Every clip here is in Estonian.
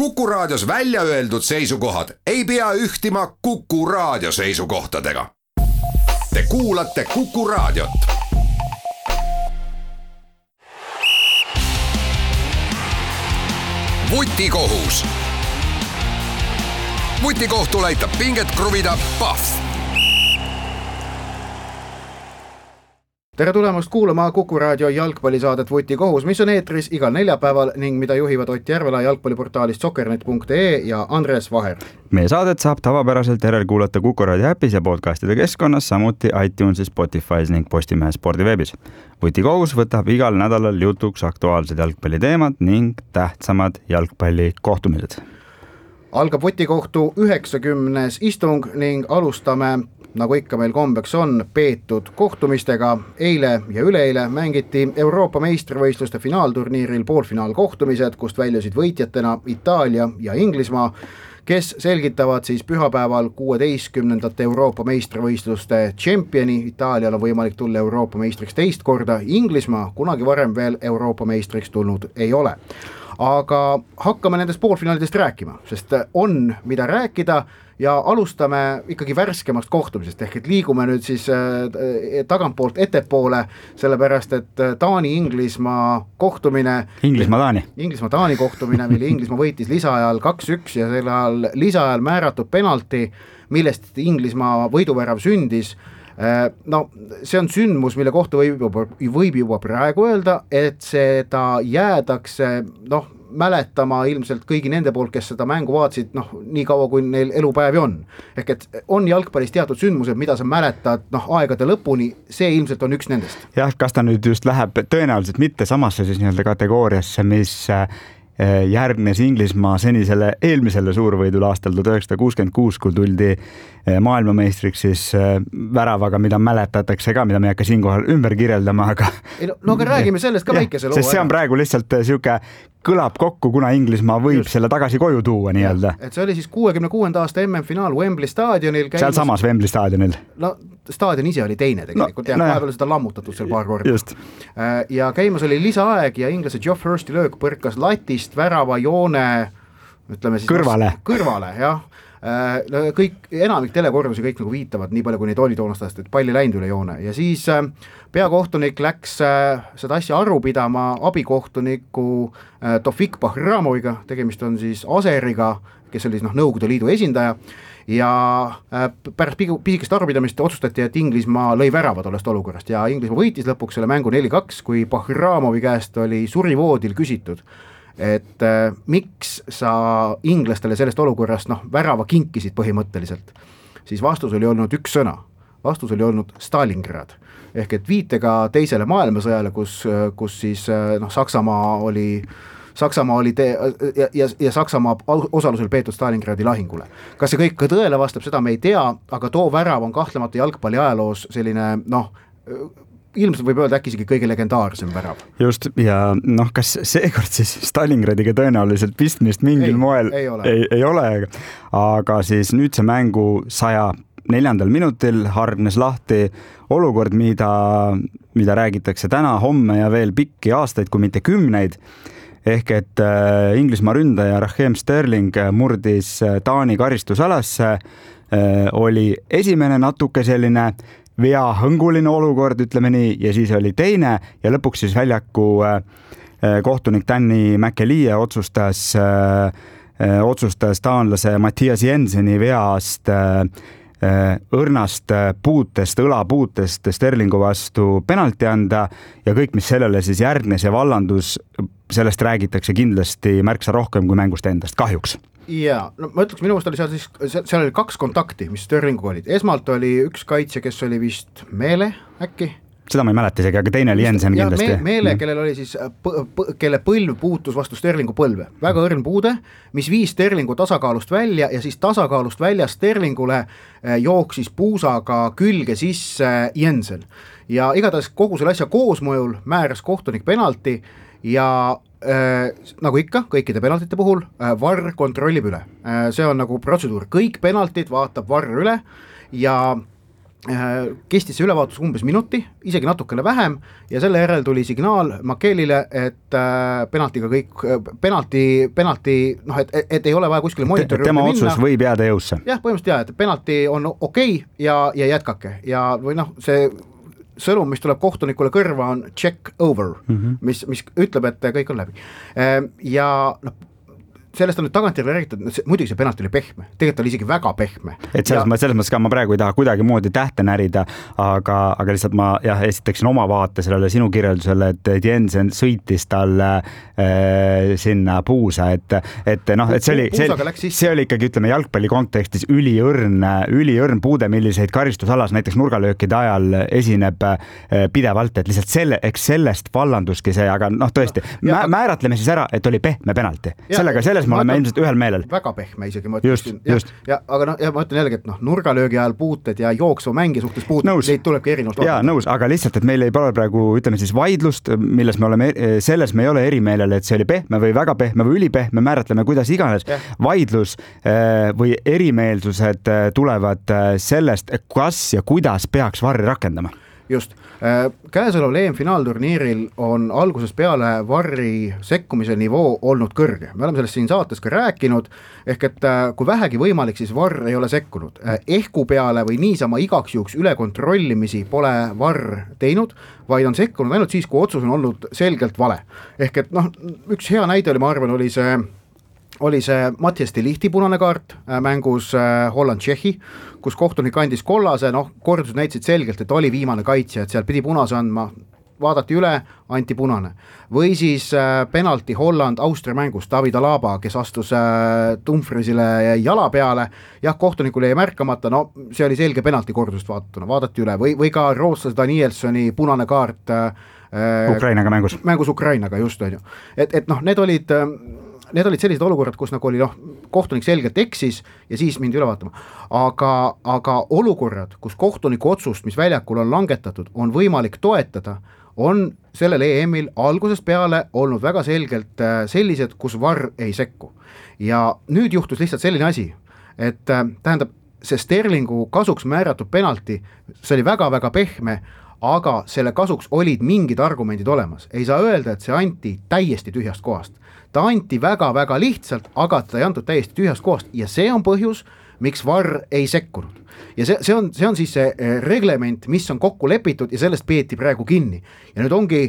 Kuku Raadios välja öeldud seisukohad ei pea ühtima Kuku Raadio seisukohtadega. Te kuulate Kuku Raadiot. Vutikohus. Vutikohtul aitab pinget kruvida Pahv. Tere tulemast kuulama Kuku Raadio jalgpallisaadet Vutikohus, mis on eetris igal neljapäeval ning mida juhivad Ott Järvela jalgpalliportaalist soccernet.ee ja Andres Vaher. Meie saadet saab tavapäraselt järelkuulata Kuku Raadio äpis ja podcastide keskkonnas, samuti iTunesis, Spotify's ning Postimehe spordiveebis. Vutikohus võtab igal nädalal jutuks aktuaalsed jalgpalliteemad ning tähtsamad jalgpallikohtumised. Algab Vutikohtu 90. istung ning alustame nagu ikka meil kombeks on peetud kohtumistega. Eile ja üleeile mängiti Euroopa meistrivõistluste finaalturniiril poolfinaalkohtumised, kust väljusid võitjatena Itaalia ja Inglismaa, kes selgitavad siis pühapäeval 16. Euroopa meistrivõistluste tšempioni. Itaalial on võimalik tulla Euroopa meistriks teist korda, Inglismaa kunagi varem veel Euroopa meistriks tulnud ei ole. Aga hakkame nendest poolfinaalidest rääkima, sest on mida rääkida ja alustame ikkagi värskemast kohtumisest, ehk et liigume nüüd siis tagantpoolt ettepoole, sellepärast et Taani-Inglismaa kohtumine, Inglismaa-Taani kohtumine, mille Inglismaa võitis lisaajal 2-1 ja selle ajal lisaajal määratud penalti, millest Inglismaa võiduvärav sündis. No, see on sündmus, mille kohta võib juba praegu öelda, et seda jäädakse mäletama ilmselt kõigi nende poolt, kes seda mängu vaatasid nii kaua, kui neil elupäevi on. Ehk et on jalgpallis teatud sündmused, mida sa mäletad aegade lõpuni, see ilmselt on üks nendest. Jah, kas ta nüüd just läheb tõenäoliselt mitte samasse siis nii-öelda kategooriasse, mis järgnes Inglismaa senisele eelmisele suurvõidul aastal 1966, kui tuldi maailmameistriks siis väravaga, mida mäletatakse ka, mida me ei hakka siinkohal ümber kirjeldama, aga aga räägime sellest ka väikese loo. Sest see on praegu lihtsalt siuke kõlab kokku, kuna Inglismaa võib selle tagasi koju tuua nii-öelda. Et see oli siis 66. aasta MM-finaal Wembley staadionil. Seal samas Wembley staadionil. No staadion ise oli teine tegelikult, vahepeal seda lammutatud seal paar korda. Just. Ja käimas oli lisaaeg ja inglase Geoff Hursti löök põrkas latist värava joone, ütleme siis kõrvale, jah. Enamik telekordusi kõik nagu viitavad, nii palju kui neid oli toonastast, et palli läinud üle joone ja siis peakohtunik läks seda asja aru pidama abikohtuniku Tofik Bahramoviga, tegemist on siis Aseriga, kes oli Nõukogude Liidu esindaja ja pärast pisikest arupidamist otsustati, et Inglismaa lõi värava tollest olukorrast ja Inglismaa võitis lõpuks selle mängu 4-2, kui Bahramovi käest oli surivoodil küsitud, et miks sa inglastele sellest olukorrast värava kinkisid põhimõtteliselt, siis vastus oli olnud üks sõna. Vastus oli olnud Stalingrad. Ehk et viitega teisele maailmasõjale, kus siis Saksamaa oli ja Saksamaa osalusel peetud Stalingradi lahingule. Kas see kõik ka tõele vastab, seda me ei tea, aga too värav on kahtlemata jalgpalli ajaloos selline ilmselt võib öelda äkki isegi kõige legendaarsem värav. Just, ja kas seekord siis Stalingradiga tõenäoliselt pistmist mingil moel ei ole, aga siis nüüd see mängu 104. minutil hargnes lahti olukord, mida räägitakse täna, homme ja veel pikki aastaid, kui mitte kümneid, ehk et Inglismaa ründaja Raheem Sterling murdis Taani karistusalasse, oli esimene natuke selline veahõnguline olukord, ütleme nii, ja siis oli teine ja lõpuks siis väljaku kohtunik Danny McAlee otsustas taanlase Mattias Jenseni veast õrnast puutest, õlapuutest Sterlingu vastu penalti anda ja kõik, mis sellele siis järgnes ja vallandus, sellest räägitakse kindlasti märksa rohkem kui mängust endast, kahjuks. Ja, ma ütleks, minu oli seal oli 2 kontakti, mis Sterlinguga olid. Esmalt oli üks kaitsja, kes oli vist Meele äkki. Seda ma ei mäleta isegi, aga teine oli Jensen kindlasti. Meele, kellel oli siis, kelle põlv puutus vastu Sterlingu põlve. Väga õrn puude, mis viis Sterlingu tasakaalust välja ja siis tasakaalust välja Sterlingule jooksis puusaga külge sisse Jensen. Ja igatahes kogu selle asja koosmõjul määras kohtunik penalti ja nagu ikka, kõikide penaltite puhul VAR kontrollib üle. See on nagu protseduur. Kõik penaltid vaatab VAR üle ja kestis see ülevaatus umbes minuti, isegi natukene vähem ja selle järel tuli signaal Makelile, et penaltiga kõik, penalti, noh, et ei ole vaja kuskile monitori tema otsus võib jääda jõusse. Jah, põhimõtteliselt et penalti on okei ja jätkake ja või noh, see sõnum, mis tuleb kohtunikule kõrva on check over, mis ütleb, et kõik on läbi. Ja noh, sellest on nüüd tagantjärele räägitud, muidugi see penalti oli pehme, tegelikult oli isegi väga pehme. Et selles mõttes ka ma praegu ei taha kuidagi moodi tähte närida, aga lihtsalt ma esitaksin oma vaate sellele sinu kirjeldusele, et Jensen sõitis talle sinna puusa, et see oli ikkagi, ütleme, jalgpalli kontekstis üliõrn puude, milliseid karistusalas näiteks nurgalöökide ajal esineb pidevalt, et lihtsalt eks sellest vallanduski see, aga noh, tõesti, määratleme siis ära, et oli pehme penalti. Selles me oleme ilmselt ühel meelel. Väga pehme isegi, ma ütlesin. Aga noh, ma ütlen jällegi, et noh, nurgalöögi ajal puuted ja jooksva mängi suhtes puuted, neid tulebki erinevalt. Jaa, nõus, aga lihtsalt, et meil ei ole praegu, ütleme siis vaidlust, selles me ei ole erimeelel, et see oli pehme või väga pehme või ülipehme, määratleme kuidas iganes. Vaidlus või erimeelsused tulevad sellest, kas ja kuidas peaks varri rakendama. Just. Käesolev EM-finaalturniiril on algusest peale varri sekkumise nivoo olnud kõrge. Me oleme sellest siin saates ka rääkinud, ehk et kui vähegi võimalik, siis varr ei ole sekkunud. Ehku peale või niisama igaks juhuks ülekontrollimisi pole varr teinud, vaid on sekkunud ainult siis, kui otsus on olnud selgelt vale. Ehk et noh, üks hea näide oli, ma arvan, oli see Mattias de Ligt punane kaart mängus Holland-Tšehhi, kus kohtunik andis kollase, noh, kordused näitasid selgelt, et oli viimane kaitsja, et seal pidi punase andma, vaadati üle, anti punane. Või siis penalti Holland-Austria mängus David Alaba, kes astus Dumfriesile jala peale, jah, kohtunikule jäi märkamata, no see oli selge penalti kordusest vaatatuna, vaadati üle, või ka rootslase Danielsoni punane kaart Ukrainaga mängus Ukrainaga, just on ju. Et noh, need olid sellised olukorrad, kus nagu oli kohtunik selgelt eksis ja siis mindi üle vaatama. Aga olukorrad, kus kohtuniku otsust, mis väljakul on langetatud, on võimalik toetada, on sellel EM-il algusest peale olnud väga selgelt sellised, kus varr ei sekku. Ja nüüd juhtus lihtsalt selline asi, et tähendab, see Sterlingu kasuks määratud penalti, see oli väga-väga pehme, aga selle kasuks olid mingid argumendid olemas. Ei saa öelda, et see anti täiesti tühjast kohast. Ta anti väga-väga lihtsalt, aga ta ei antud täiesti tühjast kohast ja see on põhjus, miks varr ei sekkunud. Ja see on siis see reglement, mis on kokku lepitud ja sellest peeti praegu kinni. Ja nüüd ongi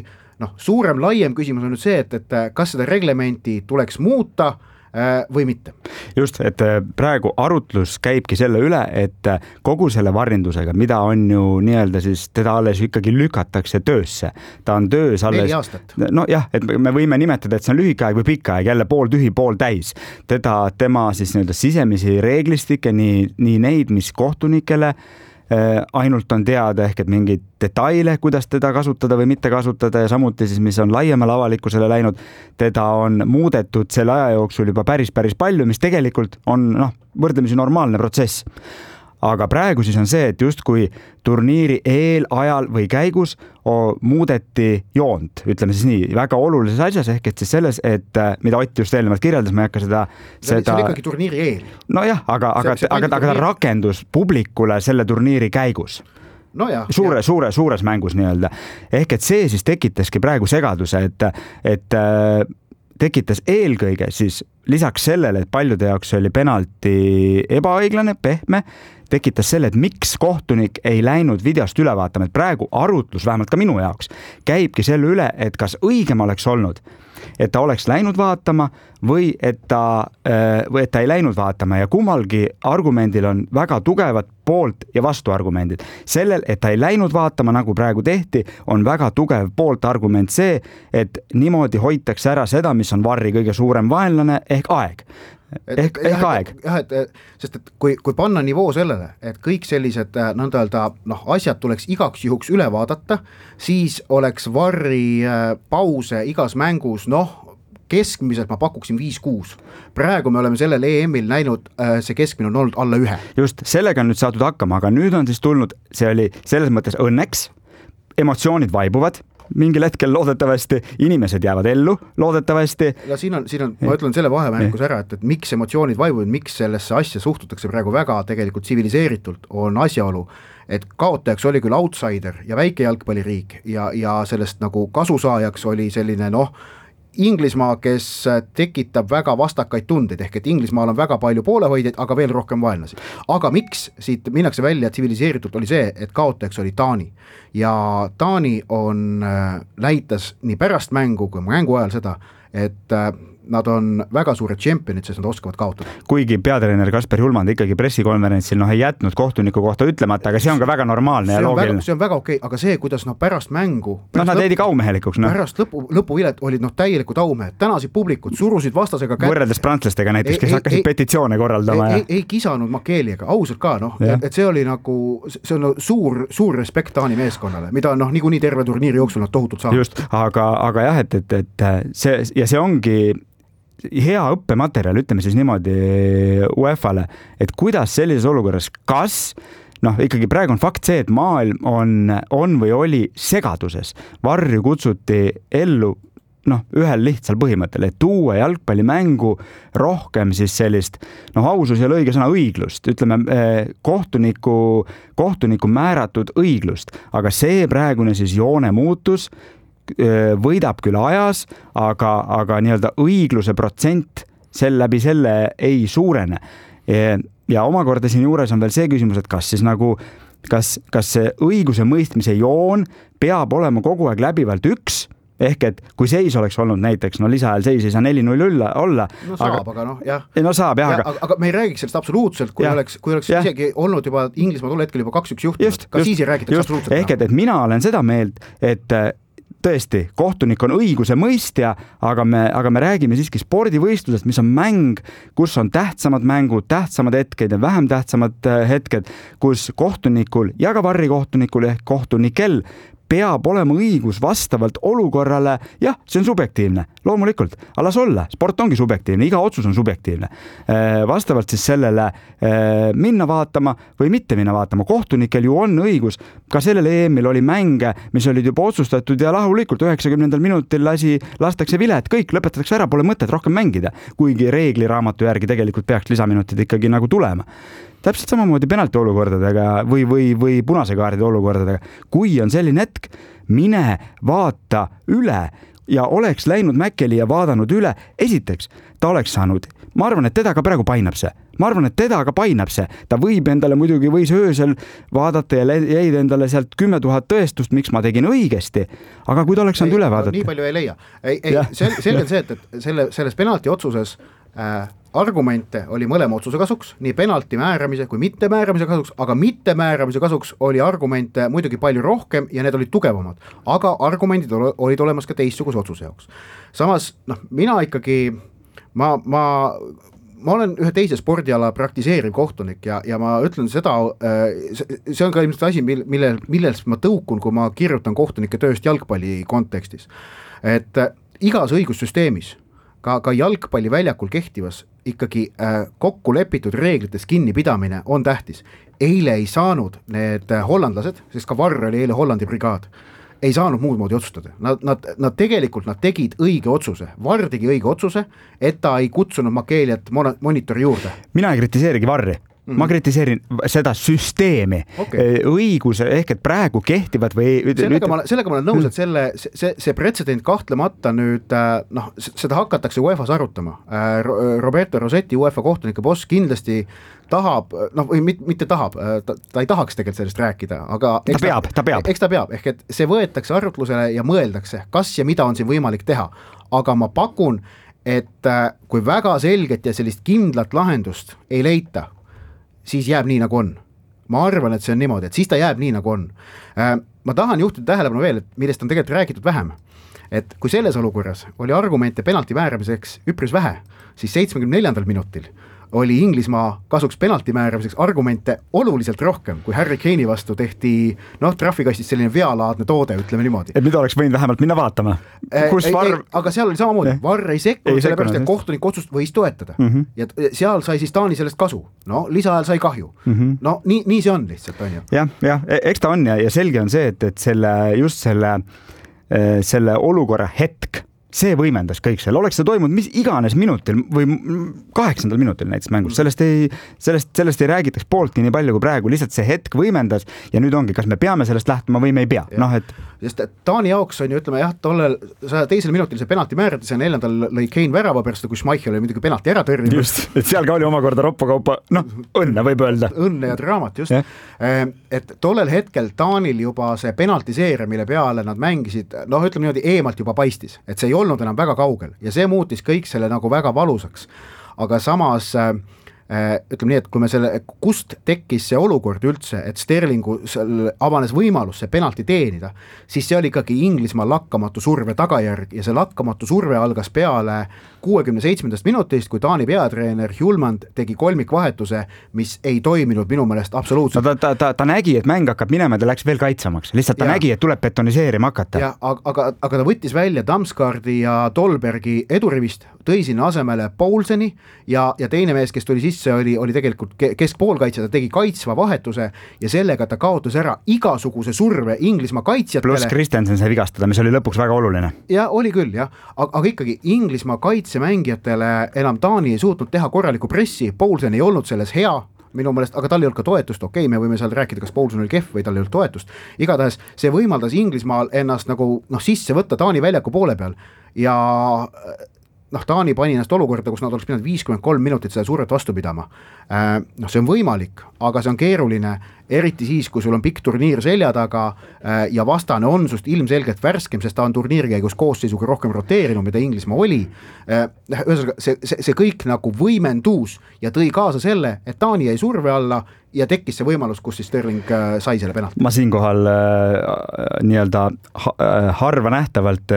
suurem, laiem küsimus on nüüd see, et kas seda reglementi tuleks muuta või mitte. Just, et praegu arutlus käibki selle üle, et kogu selle varrindusega, mida on ju nii-öelda siis teda alles ikkagi lükatakse töösse. Ta on töös alles 4 aastat. No jah, et me võime nimetada, et see on lühike aeg või pikk aeg, jälle pool tühi, pool täis. Tema siis nii-öelda sisemisi reeglistikke, nii neid, mis kohtunikele ainult on teada, ehk et mingeid detaile, kuidas teda kasutada või mitte kasutada ja samuti siis, mis on laiemale avalikkusele läinud, teda on muudetud selle aja jooksul juba päris palju, mis tegelikult on võrdlemisi normaalne protsess. Aga praegu siis on see, et justkui turniiri eel, ajal või käigus muudeti joont, ütleme siis nii, väga olulises asjas, ehk et siis selles, et mida Ott just eelnevalt kirjeldas, ma ei hakka seda... See oli ikkagi turniiri eel. No jah, aga ta rakendus publikule selle turniiri käigus. No jah, suures mängus nii-öelda. Ehk et see siis tekitaski praegu segaduse, et tekitas eelkõige siis lisaks sellele, et paljude jaoks oli penalti ebaõiglane, pehme, tekitas selle, et miks kohtunik ei läinud videost üle vaatama, et praegu arutlus, vähemalt ka minu jaoks, käibki selle üle, et kas õigem oleks olnud, et ta oleks läinud vaatama või et ta ei läinud vaatama ja kummalgi argumendil on väga tugevad poolt ja vastuargumendid. Sellel, et ta ei läinud vaatama, nagu praegu tehti, on väga tugev poolt argument see, et niimoodi hoitakse ära seda, mis on varri kõige suurem vaenlane ehk aeg. Ehk aeg. Sest et kui panna nivoo sellele, et kõik sellised asjad tuleks igaks juhuks üle vaadata, siis oleks varri pause igas mängus, keskmiselt ma pakuksin 5-6. Praegu me oleme sellel EM-il näinud, see keskmine on olnud alla 1. Just, sellega on nüüd saadud hakkama, aga nüüd on siis tulnud, see oli selles mõttes õnneks, emotsioonid vaibuvad, mingil hetkel loodetavasti inimesed jäävad ellu, loodetavasti. Ja siin on, ma ütlen selle vahemärkus ära, et miks emotsioonid vaibuvad, miks sellesse asja suhtutakse praegu väga tegelikult tsiviliseeritult, on asjaolu, et kaotajaks oli küll outsider ja väike jalgpalliriik ja sellest nagu kasusaajaks oli selline Inglismaa, kes tekitab väga vastakaid tundeid, ehk et Inglismaal on väga palju poolehoidjaid, aga veel rohkem vaenlasi. Aga miks siit minnakse välja tsiviliseeritult oli see, et kaotajaks oli Taani. Ja Taani näitas nii pärast mängu kui mängu ajal seda, et nad on väga suured tšempionid, sest nad oskavad kaotada. Kuigi peatreener Kasper Julmand ikkagi pressikonverentsil ei jätnud kohtuniku kohta ütlemata, aga see on ka väga normaalne ja loogiline. See on väga okei, aga see, kuidas pärast mängu nad teedi kaumehelikuks. Pärast lõpuvilet olid täielikult aumehed, tänasid publikud, surusid vastasega kätt. Võrreldes prantslastega näiteks, kes hakkasid petitsioone korraldama. Ei kisanud Makeeliga, ausalt ka, et see oli see on suur respekt Taani meeskonnale, mida niikuinii terve turniiri jooksul nad tohutult saavad. Just, aga jah, et see ongi hea õppematerjal, ütleme siis niimoodi UEFA-le, et kuidas sellises olukorras, kas ikkagi praegu on fakt see, et maailm on või oli segaduses. Varju kutsuti ellu ühel lihtsal põhimõttel, et tuua jalgpallimängu rohkem siis sellist, ausus ja õige sõna õiglust, ütleme kohtuniku määratud õiglust, aga see praegune siis joone muutus võidab küll ajas, aga nii-öelda õigluse protsent läbi selle ei suurene. Ja omakorda siin juures on veel see küsimus, et kas siis kas see õiguse mõistmise joon peab olema kogu aeg läbivalt üks, ehk et kui seis oleks olnud näiteks, lisaajal seis ei saa 4-0 olla. Saab, aga me ei räägiks sellest absoluutselt, kui oleks isegi olnud juba Inglismaa tol hetkel juba 2-1 juhtunud, ka siis ei räägitakse absoluutselt. Ehk et mina olen seda meelt, et tõesti, kohtunik on õiguse mõistja, aga me räägime siiski spordivõistlusest, mis on mäng, kus on tähtsamad mängud, tähtsamad hetked ja vähem tähtsamad hetked, kus kohtunikul ja ka varrikohtunikul ehk kohtunikel peab olema õigus vastavalt olukorrale, jah, see on subjektiivne, loomulikult, las olla, sport ongi subjektiivne, iga otsus on subjektiivne. Vastavalt siis sellele minna vaatama või mitte minna vaatama, kohtunikel ju on õigus, ka sellel EM-il oli mänge, mis olid juba otsustatud ja rahulikult 90. minutil lastakse vilet, kõik lõpetatakse ära, pole mõtet rohkem mängida, kuigi reegliraamatu järgi tegelikult peaks lisaminutid ikkagi tulema. Täpselt samamoodi penalti olukordadega või punase kaardide olukordadega. Kui on selline hetk, mine vaata üle ja oleks läinud Mäkkeli ja vaadanud üle, esiteks ta oleks saanud. Ma arvan, et teda ka praegu painab see. Ta võib endale muidugi võis öösel vaadata ja jäid endale sealt 10 000 tõestust, miks ma tegin õigesti, aga kui ta oleks saanud üle vaadata. Nii palju ei leia. Selge on see, et selles penalti otsuses argumente oli mõlema otsuse kasuks, nii penalti määramise kui mitte määramise kasuks, aga mitte määramise kasuks oli argumente muidugi palju rohkem ja need olid tugevamad, aga argumendid olid olemas ka teistsuguse otsuse jaoks. Samas, mina ikkagi, ma olen ühe teise spordiala praktiseeriv kohtunik ja ma ütlen seda, see on ka ilmselt asi, millest ma tõukun, kui ma kirjutan kohtunike tööst jalgpalli kontekstis. Et igas õigussüsteemis, ka jalgpalliväljakul kehtivas ikkagi kokku lepitud reeglites kinnipidamine on tähtis. Eile ei saanud need hollandlased, sest ka VAR oli eile Hollandi brigaad, ei saanud muud moodi otsustada. Nad tegelikult tegid õige otsuse. VAR tegi õige otsuse, et ta ei kutsunud Makeeliat monitori juurde. Mina ei kritiseerigi VAR-i. Ma kritiseerin seda süsteemi, õiguse ehk et praegu kehtivad või... Sellega ma olen nõus, et see pretsedent kahtlemata nüüd, seda hakatakse UEFAs arutama. Roberto Rossetti, UEFA kohtunike boss kindlasti tahab, või mitte tahab, ta ei tahaks tegelikult sellest rääkida, aga... Ta peab. Eks ta peab, ehk et see võetakse arutlusele ja mõeldakse, kas ja mida on siin võimalik teha. Aga ma pakun, et kui väga selget ja sellist kindlat lahendust ei leita, siis jääb nii, nagu on. Ma arvan, et see on niimoodi, et siis ta jääb nii, nagu on. Ma tahan juhtida tähelepanu veel, et millest on tegelikult räägitud vähem. Et kui selles olukorras oli argumente penalti määramiseks üpris vähe, siis 74. minutil oli Inglismaa kasuks penalti määramiseks argumente oluliselt rohkem, kui Harry Kane'i vastu tehti trahvikastis selline vealaadne toode, ütleme niimoodi. Et mida oleks võinud vähemalt minna vaatama? Aga seal oli samamoodi, VAR ei sekkunud, sellepärast, et kohtunik otsust võis toetada. Ja seal sai siis Taani sellest kasu. Lisaajal sai kahju. Nii see on lihtsalt, on ju. Jah, eks ta on ja selge on see, et just selle selle olukorra hetk, see võimendas kõik seal, oleks see toimunud mis iganes minutil või 8. minutil näiteks mängus, sellest ei räägitaks pooltki nii palju kui praegu, lihtsalt see hetk võimendas ja nüüd ongi, kas me peame sellest lähtuma või me ei pea. Sest Taani jaoks on ju, ütleme jah, tollel 2. minutil see penalti määrati, see 4. lõi Kane värava pärast, kus Schmeichel oli muidugi penalti ära tõrjunud. Just, et seal ka oli omakorda roppa-kaupa, õnne võib öelda. Õnne ja draamat, just. Et tollel hetkel Taanil juba see penaltiseeria, mille peale nad mängisid, ütleme niimoodi, eemalt juba paistis, et see ei olnud enam väga kaugel ja see muutis kõik selle nagu väga valusaks. Aga samas ütleme nii, et kui me kust tekkis see olukord üldse, et Sterlingu avanes võimalus see penalti teenida, siis see oli ikkagi Inglismaa lakkamatu surve tagajärg ja see lakkamatu surve algas peale 67. minutist, kui Taani peatreener Hjulmand tegi kolmikvahetuse, mis ei toiminud minu meelest absoluutselt. No, ta nägi, et mäng hakkab minema, ta läks veel kaitsamaks, lihtsalt ta nägi, et tuleb betoniseerima hakata. Ja, aga ta võttis välja Damsgaardi ja Dolbergi edurivist, tõi sinna asemele Poulseni ja teine mees, kes tuli sisse, oli tegelikult keskpoolkaitse, ta tegi kaitsva vahetuse ja sellega ta kaotas ära igasuguse surve Inglismaa kaitsjatele. Plus Christensen sai vigastada, mis oli lõpuks väga oluline. Ja oli küll, jah. Aga ikkagi Inglismaa kaitsemängijatele enam Taani ei suutnud teha korraliku pressi, Poulsen ei olnud selles hea, minu meelest, aga tal ei olnud ka toetust, me võime seal rääkida, kas Poulsen oli kehv või tal ei olnud toetust. Igatahes see võimaldas Inglismaal ennast nagu sisse võtta Taani väljaku poole peal ja Taani pani ennast olukorda, kus nad oleks pidanud 53 minutit seda survet vastu pidama. See on võimalik, aga see on keeruline, eriti siis, kui sul on pikk turniir selja taga ja vastane on sust ilmselgelt värskem, sest ta on turniiri käigus koosseisuga rohkem roteerinud, mida Inglismaa oli. Ühesõnaga, see kõik nagu võimendus ja tõi kaasa selle, et Taani jäi surve alla ja tekkis see võimalus, kus siis Sterling sai selle penalt. Ma siinkohal nii-öelda harva nähtavalt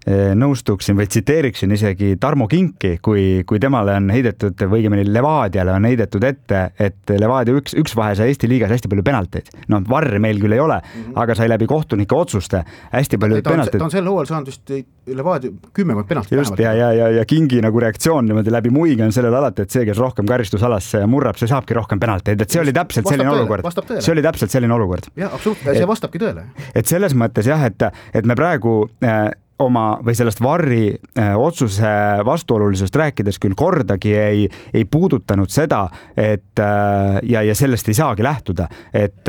nõustuksin või tsiteeriksin isegi Tarmo Kinki, kui temale on heidetud või õigemini Levadiale on heidetud ette, et Levadia üks vahe sai Eesti liigas hästi palju penalteid. Varri meil küll ei ole, aga sai läbi kohtunike otsuste hästi palju penalteid. Ta on sel hooajal saanud just Levadia 10 penalteid. Just, ja Kingi nagu reaktsioon niimoodi läbi muigi on sellel alati, et see, kes rohkem karistusalasse murrab, see saabki rohkem penalteid, et see oli täpselt selline olukord. See oli täpselt selline olukord. Ja, absoluutselt, see vastabki tõele. Et selles mõttes jah, et me praegu või sellest Varri otsuse vastuolulisust rääkides küll kordagi ei puudutanud seda, et ja sellest ei saagi lähtuda, et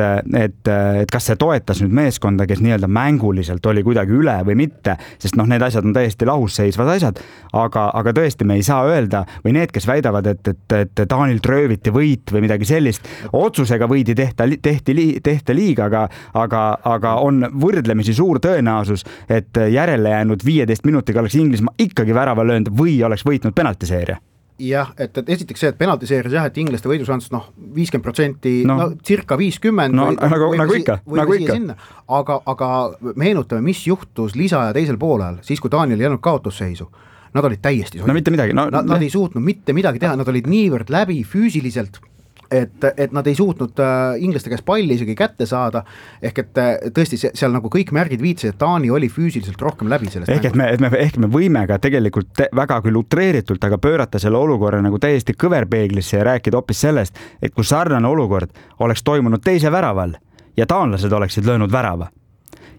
kas see toetas nüüd meeskonda, kes nii-öelda mänguliselt oli kuidagi üle või mitte, sest need asjad on täiesti lahus seisvad asjad, aga tõesti me ei saa öelda, või need, kes väidavad, et Taanilt rööviti võit või midagi sellist, otsusega võidi tehti liiga, aga on võrdlemisi suur tõenäosus, et järele jäänud 15 minutiga oleks Inglismaa ikkagi värava löönud või oleks võitnud penaltiseeria. Jah, et esiteks see, et penaltiseerias jah, et inglaste võidušanss 50%, circa 50 nagu ikka. Aga meenutame, mis juhtus lisa ja teisel poolel, siis kui Taanil ei olnud kaotusseisu. Nad olid täiesti mitte midagi. Nad ei suutnud mitte midagi teha, nad olid niivõrd läbi füüsiliselt, et nad ei suutnud inglaste käest palli isegi kätte saada, ehk et tõesti seal nagu kõik märgid viitsid, et Taani oli füüsiliselt rohkem läbi sellest. Ehk me võime ka tegelikult väga küll utreeritult, aga pöörata selle olukorra nagu täiesti kõverpeeglisse ja rääkida hoopis sellest, et kui sarnane olukord oleks toimunud teise väraval ja taanlased oleksid löönud värava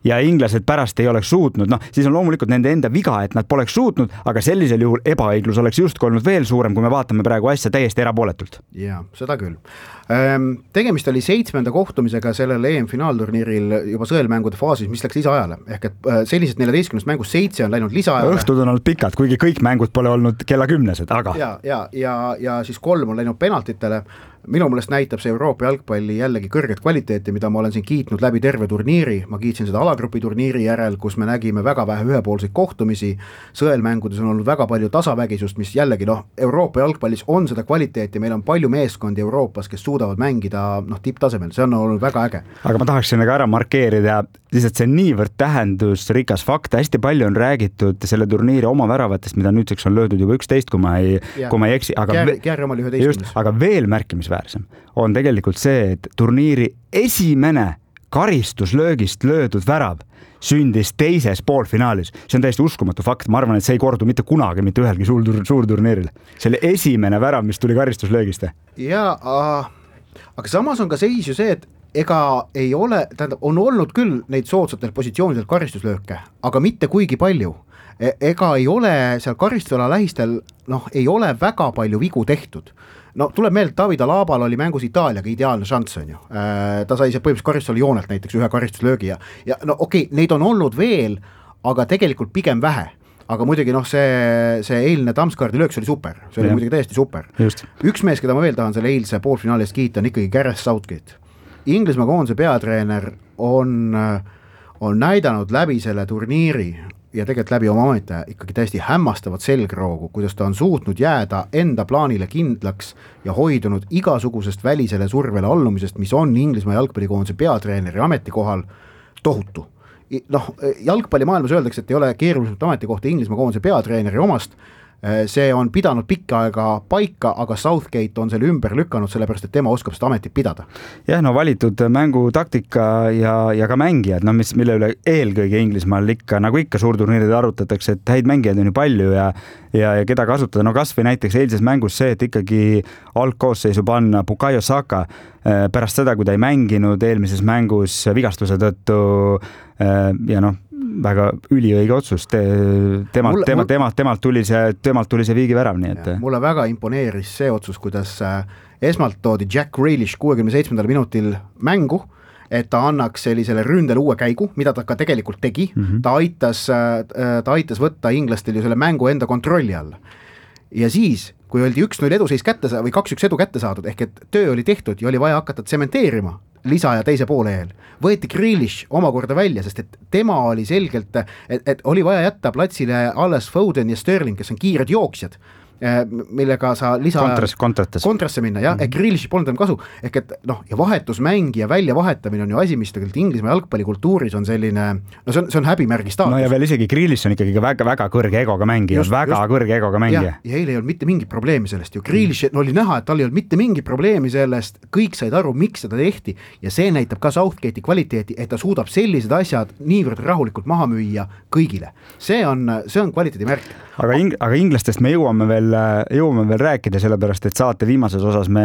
ja inglased pärast ei oleks suutnud, siis on loomulikult nende enda viga, et nad poleks suutnud, aga sellisel juhul ebaõiglus oleks just olnud veel suurem, kui me vaatame praegu asja täiesti erapooletult. Jaa, seda küll. Tegemist oli 7. kohtumisega sellel EM-finaalturniiril juba sõelmängude faasis, mis läks lisaajale. Ehk et sellised 14 mängus 7 on läinud lisaajale. Õhtud on olnud pikad, kuigi kõik mängud pole olnud kella 10, aga... Ja siis 3 on läinud penaltitele. Minu meelest näitab see Euroopa jalgpalli jällegi kõrget kvaliteeti, mida ma olen siin kiitnud läbi terve turniiri. Ma kiitsin seda alagrupi turniiri järel, kus me nägime väga vähe ühepoolseid kohtumisi. Sõelmängudes on olnud väga palju tasavägisust, mis jällegi Euroopa jalgpallis on seda kvaliteeti. Meil on palju meeskondi Euroopas, kes suudavad mängida tipptasemel. See on olnud väga äge. Aga ma tahaksin ära markeerida, lihtsalt see niivõrd tähendusrikas fakt. Hästi palju on räägitud selle turniiri oma väravatest, mida nüüdseks on löödud juba 11, kui ma ei eksi. Aga veel märkimisväärsem on tegelikult see, et turniiri esimene karistuslöögist löödud värav sündis teises poolfinaalis. See on täiesti uskumatu fakt. Ma arvan, et see ei kordu mitte kunagi, mitte ühelgi suurturniiril. See oli esimene värav, mis tuli karistuslöögist. Aga samas on ka seis ju see, ega ei ole, tähendab, on olnud küll neid soodsatel positsioonidel karistuslööke, aga mitte kuigi palju. Ega ei ole seal karistusala lähistel, ei ole väga palju vigu tehtud. Tuleb meelde, David Alabal oli mängus Itaaliaga ideaalne šanss on ju. Ta sai see põhimõtteliselt karistusala joonelt näiteks ühe karistuslöögi ja neid on olnud veel, aga tegelikult pigem vähe. Aga muidugi see eilne Damsgaardi lööks oli super, see oli muidugi täiesti super. Just. Üks mees, keda ma veel tahan selle eilse poolfinaalist kiita, on ikkagi Gareth Southgate. Inglismaa koondise peatreener on näidanud läbi selle turniiri ja tegelikult läbi oma ametiaja ikkagi täiesti hämmastavat selgroogu, kuidas ta on suutnud jääda enda plaanile kindlaks ja hoidunud igasugusest välisele survele allumisest, mis on Inglismaa jalgpallikoondise peatreeneri ametikohal tohutu. Jalgpallimaailmas öeldakse, et ei ole keerulisemat ametikohta Inglismaa koondise peatreeneri omast, see on pidanud pikka aega paika, aga Southgate on selle ümber lükanud, sellepärast et tema oskab seda ametit pidada. Jah, valitud mängutaktika ja ka mängijad, mille üle eelkõige Inglismaal ikka, nagu ikka suurturniirid arutatakse, et häid mängijaid on ju palju ja keda kasutada, kas või näiteks eilses mängus see, et ikkagi algkoosseisu panna Bukayo Saka pärast seda, kui ta ei mänginud eelmises mängus vigastuse tõttu ja väga üliõige otsus, temalt tuli see viigivärav, nii et. Mulle väga imponeeris see otsus, kuidas esmalt toodi Jack Grealish 67. minutil mängu, et ta annaks sellisele ründele uue käigu, mida ta ka tegelikult tegi, ta aitas võtta inglastel ju selle mängu enda kontrolli alla. Ja siis, kui oldi 1-0 eduseis või 2-1 edu kätte saadud, ehk et töö oli tehtud ja oli vaja hakata tsementeerima lisa ja teise poole eel, võeti Grealish omakorda välja, sest et tema oli selgelt, et oli vaja jätta platsile alles Foden ja Sterling, kes on kiired jooksjad, millega sa kontrasse minna, jah, Grealish polnud enam kasu, ehk et ja vahetusmäng ja väljavahetamine on ju asi, mis tegelikult Inglismaa jalgpallikultuuris on selline, see on häbimärgi staatus. Ja veel isegi Grealish on ikkagi väga kõrge egoga mängija, kõrge egoga mängija. Ja eile ei olnud mitte mingi probleemi sellest ju, Grealish oli näha, et tal ei olnud mitte mingi probleemi sellest, kõik said aru, miks seda tehti ja see näitab ka Southgate'i kvaliteeti, et ta suudab sellised asjad niivõrd rahulikult maha müüa kõigile. See on kvaliteedimärk. Aga inglastest me jõuame veel rääkida, sellepärast et saate viimases osas me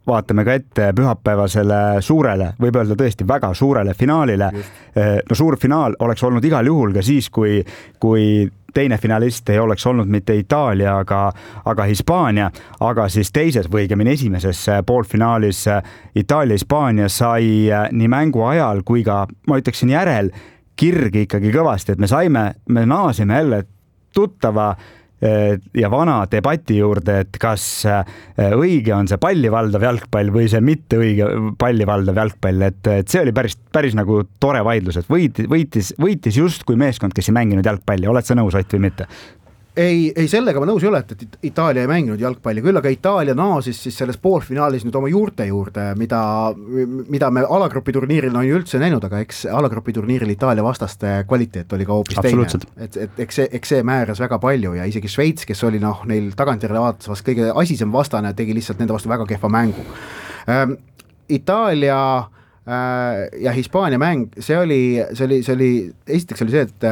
vaatame ka ette pühapäevasele suurele, võib öelda tõesti väga suurele finaalile. Suur finaal oleks olnud igal juhul ka siis, kui teine finalist ei oleks olnud mitte Itaalia, aga Hispaania, aga siis teises või õigemini esimeses poolfinaalis Itaalia-Hispaania sai nii mängu ajal kui ka, ma ütleksin järel, kirgi ikkagi kõvasti, et me naasime jälle tuttava ja vana debati juurde, et kas õige on see pallivaldav jalgpall või see mitte õige pallivaldav jalgpall, et see oli päris nagu tore vaidlus, et võitis just kui meeskond, kes ei mänginud jalgpalli. Oled sa nõus, Ott, või mitte? Ei, sellega ma nõus ei ole, et Itaalia ei mänginud jalgpalli, küll aga Itaalia naasis siis selles poolfinaalis nüüd oma juurte juurde, mida me alagrupi turniiril on ju üldse näinud, aga eks alagrupi turniiril Itaalia vastaste kvaliteet oli ka hoopis teine. Et eks see määras väga palju ja isegi Šveits, kes oli neil tagantjärele vaatas vast kõige asisem vastane, tegi lihtsalt nende vastu väga kehva mängu. Itaalia ja Hispaania mäng, see oli esiteks oli see, et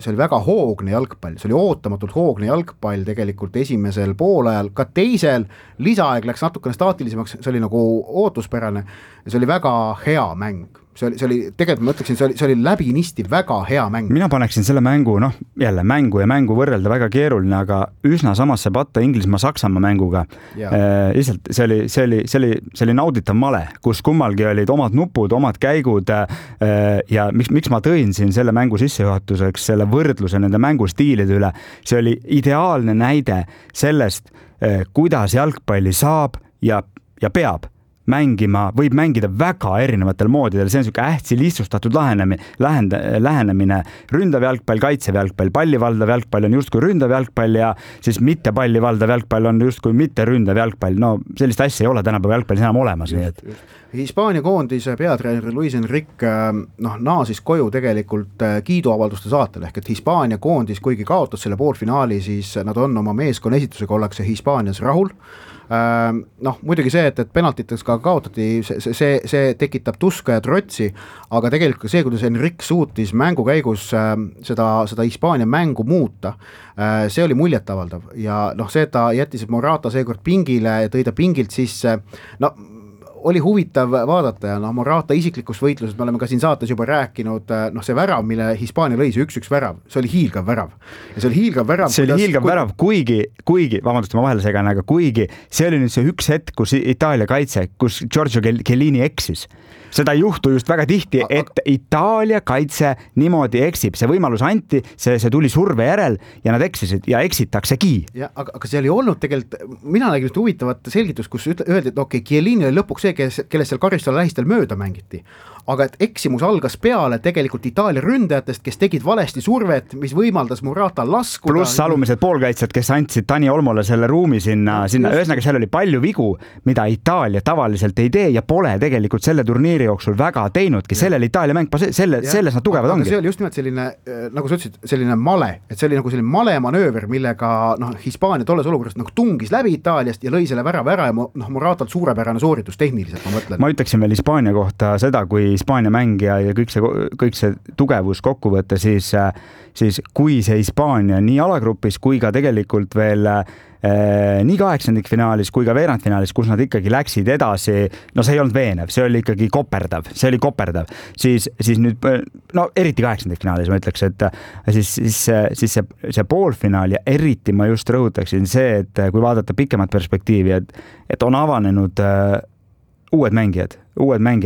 see oli väga hoogne jalgpall, see oli ootamatult hoogne jalgpall tegelikult esimesel poolajal, ka teisel lisaaeg läks natukene staatilisemaks, see oli nagu ootuspärane ja see oli väga hea mäng. See oli tegelikult ma ütleksin, see oli läbinisti väga hea mäng. Mina paneksin selle mängu, jälle mängu ja mängu võrrelda väga keeruline, aga üsna samasse patta Inglismaa-Saksamaa mänguga. Lihtsalt see oli nauditav male, kus kummalgi olid omad nupud, omad käigud ja miks ma tõin siin selle mängu sissejuhatuseks selle võrdluse nende mängustiilide üle. See oli ideaalne näide sellest, kuidas jalgpalli saab ja peab mängima, võib mängida väga erinevatel moodidel, see on selline hästi lihtsustatud lähenemine, ründav jalgpall, kaitsev jalgpall, pallivaldav jalgpall on justkui ründav jalgpall ja siis mitte pallivaldav jalgpall on justkui mitte ründav jalgpall, sellist asja ei ole tänapäeva jalgpallis enam olemas. Hispaania koondise peatreener Luis Enrique naasis koju tegelikult kiiduavalduste saatel, ehk et Hispaania koondis, kuigi kaotas selle poolfinaali, siis nad on oma meeskonna esitusega ollakse Hispaanias rahul. Muidugi see, et penaltiteks ka kaotati, see tekitab tuska ja trotsi, aga tegelikult see, kuidas Enrique suutis mängu käigus seda Hispaania mängu muuta, see oli muljetavaldav ja see, et ta jättis Morata seekord pingile ja tõi ta pingilt sisse, oli huvitav vaadata ja Morata isiklikust võitlusest me oleme ka siin saates juba rääkinud, see värav, mille Hispaania lõi, see 1-1 värav, see oli hiilgav värav. Ja see oli hiilgav värav, kuigi, vabandust, ma vahele segan, aga kuigi see oli nüüd see üks hetk, kus Itaalia kaitse, kus Giorgio Chiellini eksis. Seda ei juhtu just väga tihti, et Itaalia kaitse niimoodi eksib. See võimalus anti, see tuli surve järel ja nad eksisid ja eksitaksegi. Ja, aga see oli olnud tegelikult, mina nägin just huvitavat selgitust, kus öeldi, et okei, Chiellini oli lõpuks see, kellest seal karistale lähistel mööda mängiti. Aga et eksimus algas peale tegelikult Itaalia ründajatest, kes tegid valesti survet, mis võimaldas Moratal laskuda. Pluss alumised poolkaitsjad, kes andsid Dani Olmole selle ruumi sinna. Ühesõnaga, seal oli palju vigu, mida Itaalia tavaliselt ei tee ja pole tegelikult selle turniiri jooksul väga teinudki. Sellel Itaalia mäng, selles nad tugevad ongi. See oli just nimelt selline, nagu sa ütlesid, selline male, et see oli nagu selline male manööver, millega Hispaania tolles olukorras tungis läbi Itaaliast ja lõi selle värava ära ja Moratalt suurepärane sooritus tehniliselt, ma mõtlen. Ma ütleksin veel Hispaania kohta seda, kui Hispaania mängija ja kõik see tugevus kokku võtta, siis kui see Hispaania nii alagrupis kui ka tegelikult veel nii 8-finaalis kui ka veerandfinaalis, kus nad ikkagi läksid edasi, see ei olnud veenev, see oli ikkagi koperdav, siis nüüd, eriti 8-finaalis ma ütleks, et siis see poolfinaal ja eriti ma just rõhutaksin see, et kui vaadata pikemat perspektiivi, et on avanenud uued mängijad,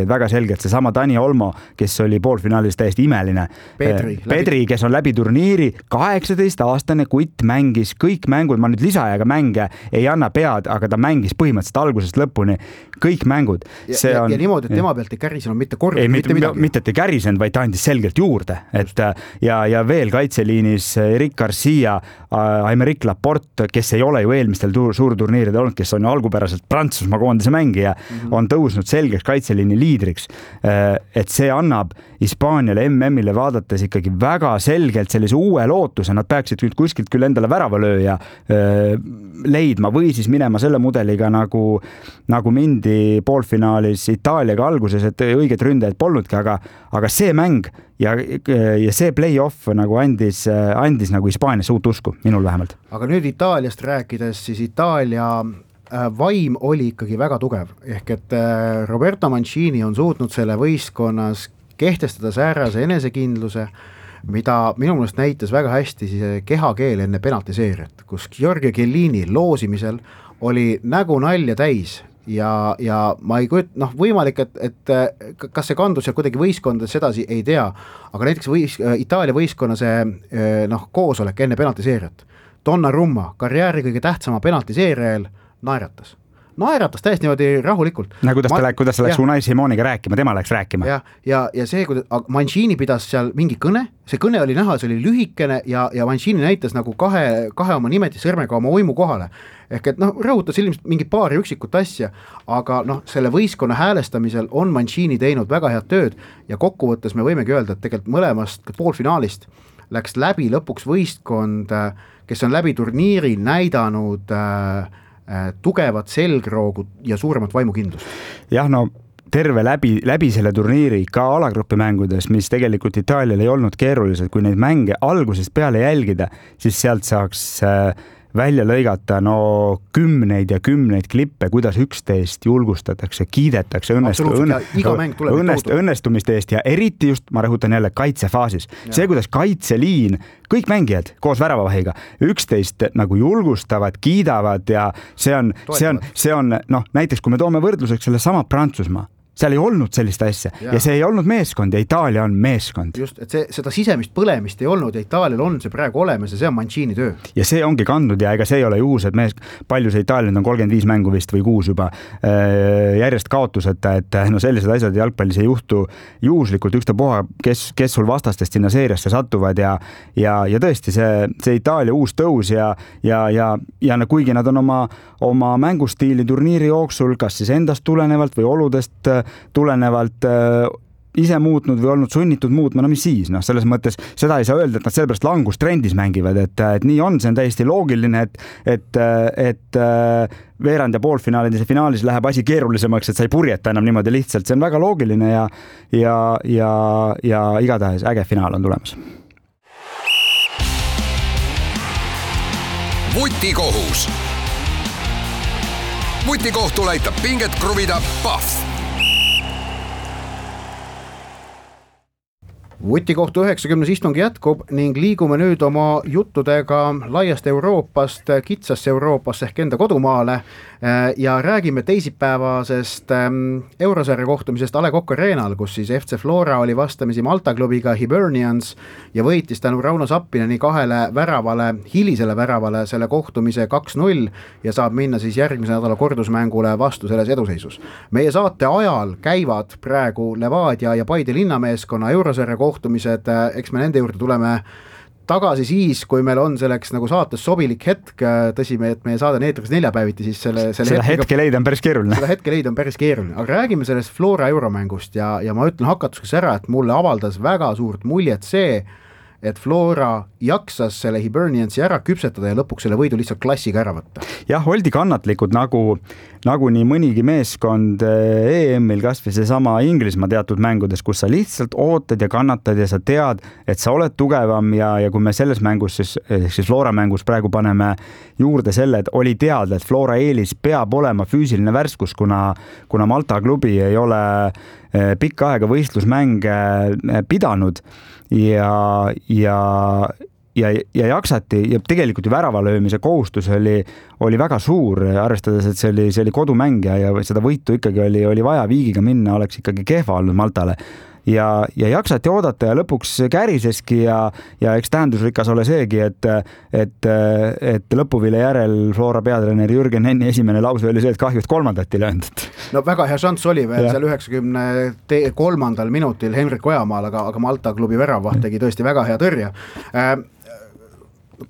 väga selgelt, see sama Dani Olmo, kes oli poolfinaalis täiesti imeline. Pedri, kes on läbi turniiri, 18-aastane kutt mängis kõik mängud, ma nüüd lisaajaga mänge ei anna pead, aga ta mängis põhimõtteliselt algusest lõpuni kõik mängud. Ja niimoodi, et tema pealt ei kärisenud mitte korda, mitte midagi. Mitte et ei kärisenud, vaid ta andis selgelt juurde. Ja veel kaitseliinis Eric Garcia, Aymeric Laporte, kes ei ole ju eelmistel suurturniirid olnud, kes on ju algupäraselt Prantsusmaa koondise mängija, on tõusnud selgeks kaitseliini liidriks, et see annab Hispaaniale MM-ile vaadates ikkagi väga selgelt sellise uue lootuse, nad peaksid kuskilt küll endale väravalööja leidma või siis minema selle mudeliga nagu mindi poolfinaalis Itaaliaga alguses, et õiged ründajad polnudki, aga see mäng ja see play-off nagu andis nagu Hispaanias uut usku, minul vähemalt. Aga nüüd Itaaliast rääkides, siis Itaalia vaim oli ikkagi väga tugev, ehk et Roberto Mancini on suutnud selle võistkonnas kehtestada säärase enesekindluse, mida minu meelest näitas väga hästi kehakeel enne penaltiseeriat, kus Giorgio Chiellini loosimisel oli nägu nalja täis ja ma ei võimalik, et kas see kandus seal kuidagi võistkondades sedasi, ei tea, aga näiteks Itaalia võistkonna see koosolek enne penaltiseeriat, Donnarumma, karjääri kõige tähtsama penaltiseerijal, naeratas täiesti niimoodi rahulikult. Kuidas ta läks Unai Simoniga rääkima, tema läks rääkima. Ja see, Mancini pidas seal mingi kõne, see kõne oli näha, see oli lühikene ja Mancini näitas nagu kahe oma nimeti sõrmega oma uimu kohale. Ehk et rõhutas ilmselt mingi paari üksikut asja, aga selle võistkonna häälestamisel on Mancini teinud väga head tööd ja kokkuvõttes me võimegi öelda, et tegelikult mõlemast poolfinaalist läks läbi lõpuks võistkond, kes on läbi turniiri näidanud tugevat selgroogu ja suuremat vaimukindlust. Jah, terve läbi selle turniiri ka alagrupi mängudes, mis tegelikult Itaalial ei olnud keerulised, kui neid mänge algusest peale jälgida, siis sealt saaks välja lõigata kümneid ja kümneid klippe, kuidas üksteist julgustatakse, kiidetakse õnnestumiste eest ja eriti just, ma rõhutan jälle, kaitsefaasis. See, kuidas kaitseliin, kõik mängijad koos väravavahiga üksteist nagu julgustavad, kiidavad ja see on näiteks kui me toome võrdluseks selle sama Prantsusmaa, seal ei olnud sellist asja ja see ei olnud meeskond ja Itaalia on meeskond. Just, et seda sisemist põlemist ei olnud ja Itaalial on see praegu olemas ja see on Mancini töö. Ja see ongi kandnud ja ega see ei ole juhus, et palju see Itaalial on 35 mängu vist või 6 juba järjest kaotuseta, et sellised asjad jalgpallis ei juhtu juhuslikult ükstapuha, kes sul vastastest sinna seeriasse satuvad ja tõesti see Itaalia uus tõus ja kuigi nad on oma mängustiili turniiri jooksul kas siis endast tulenevalt või oludest tulenevalt ise muutnud või olnud sunnitud muutma, mis siis? Selles mõttes seda ei saa öelda, et nad sellepärast langustrendis mängivad, et nii on, see on täiesti loogiline, et veerand ja poolfinaalidis ja finaalis läheb asi keerulisemaks, et sa ei purjeta enam niimoodi lihtsalt, see on väga loogiline ja igatahes äge finaal on tulemas. Vutikohus. vutikohtul aitab pinget kruvida Pahv. Vutikohtu 90. istung jätkub ning liigume nüüd oma juttudega laiast Euroopast kitsasse Euroopasse ehk enda kodumaale ja räägime teisipäevasest eurosarja kohtumisest A. Le Coq Arena'l, kus siis FC Flora oli vastamisi Malta klubiga Hibernians ja võitis tänu Rauno Sappineni 2 väravale, hilisele väravale selle kohtumise 2-0 ja saab minna siis järgmise nädala kordusmängule vastu selles eduseisus. Meie saate ajal käivad praegu Levadia ja Paide linnameeskonna eurosarja kohtumised, eks me nende juurde tuleme tagasi siis, kui meil on selleks nagu saates sobilik hetk, tõsi, et meie saade on eetris neljapäeviti, siis seda hetke leida on päris keeruline. Seda hetke leida on päris keeruline, aga räägime sellest Flora euromängust ja ma ütlen hakatuseks ära, et mulle avaldas väga suurt muljet see, et Flora jaksas selle Hiberniansi ära küpsetada ja lõpuks selle võidu lihtsalt klassiga ära võtta. Jah, oldi kannatlikud nagu nii mõnigi meeskond EM-il, kas või seesama Inglismaa teatud mängudes, kus sa lihtsalt ootad ja kannatad ja sa tead, et sa oled tugevam ja kui me selles mängus, siis Flora mängus praegu paneme juurde selle, et oli teada, et Flora eelis peab olema füüsiline värskus, kuna Malta klubi ei ole pikka aega võistlusmänge pidanud ja jaksati ja tegelikult ju värava löömise kohustus oli väga suur, arvestades, et see oli kodumäng ja seda võitu ikkagi oli vaja, viigiga minna oleks ikkagi kehva olnud Maltale. Ja jaksati oodata ja lõpuks käriseski ja eks tähendusrikas ole seegi, et lõpuvile järel Flora peatreeneri Jürgen Henni esimene lause oli see, et kahju, et kolmandat ei löönud. No väga hea šanss oli veel seal 93. minutil Henrik Ojamaal, aga Malta klubi väravaht tegi tõesti väga hea tõrja.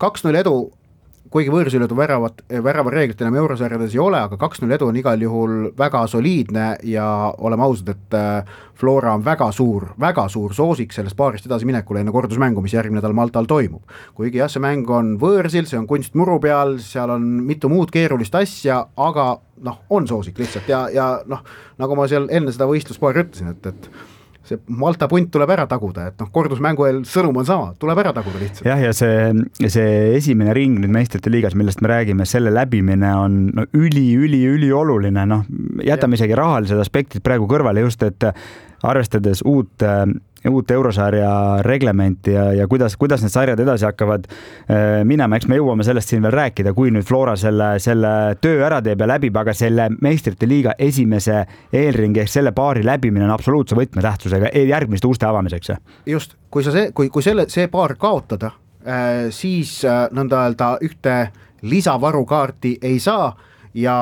2-0 edu, kuigi võõrsilöödu värava reeglit enam eurosarjades ei ole, aga 2-0 edu on igal juhul väga soliidne ja oleme ausad, et Flora on väga suur soosik sellest paarist edasi minekule enne kordusmängu, mis järgmine nädal Maltal toimub. Kuigi jah, see mäng on võõrsil, see on kunstmuru peal, seal on mitu muud keerulist asja, aga on soosik lihtsalt ja nagu ma seal enne seda võistluspaari ütlesin, et see Malta punt tuleb ära taguda, et kordusmängu eel sõnum on sama, tuleb ära taguda lihtsalt. Jah, ja see esimene ring nüüd meistrite liigas, millest me räägime, selle läbimine on üli oluline, jätame isegi rahalised aspektid praegu kõrvale just, et arvestades uut eurosarja reglementi ja kuidas need sarjad edasi hakkavad minema, eks me jõuame sellest siin veel rääkida, kui nüüd Flora selle töö ära teeb ja läbib, aga selle meistrite liiga esimese eelringi ehk selle paari läbimine on absoluutse võtmetähtsusega järgmiste uste avamiseks. Just, kui see paar kaotada, siis nõnda öelda ühte lisavarukaarti ei saa ja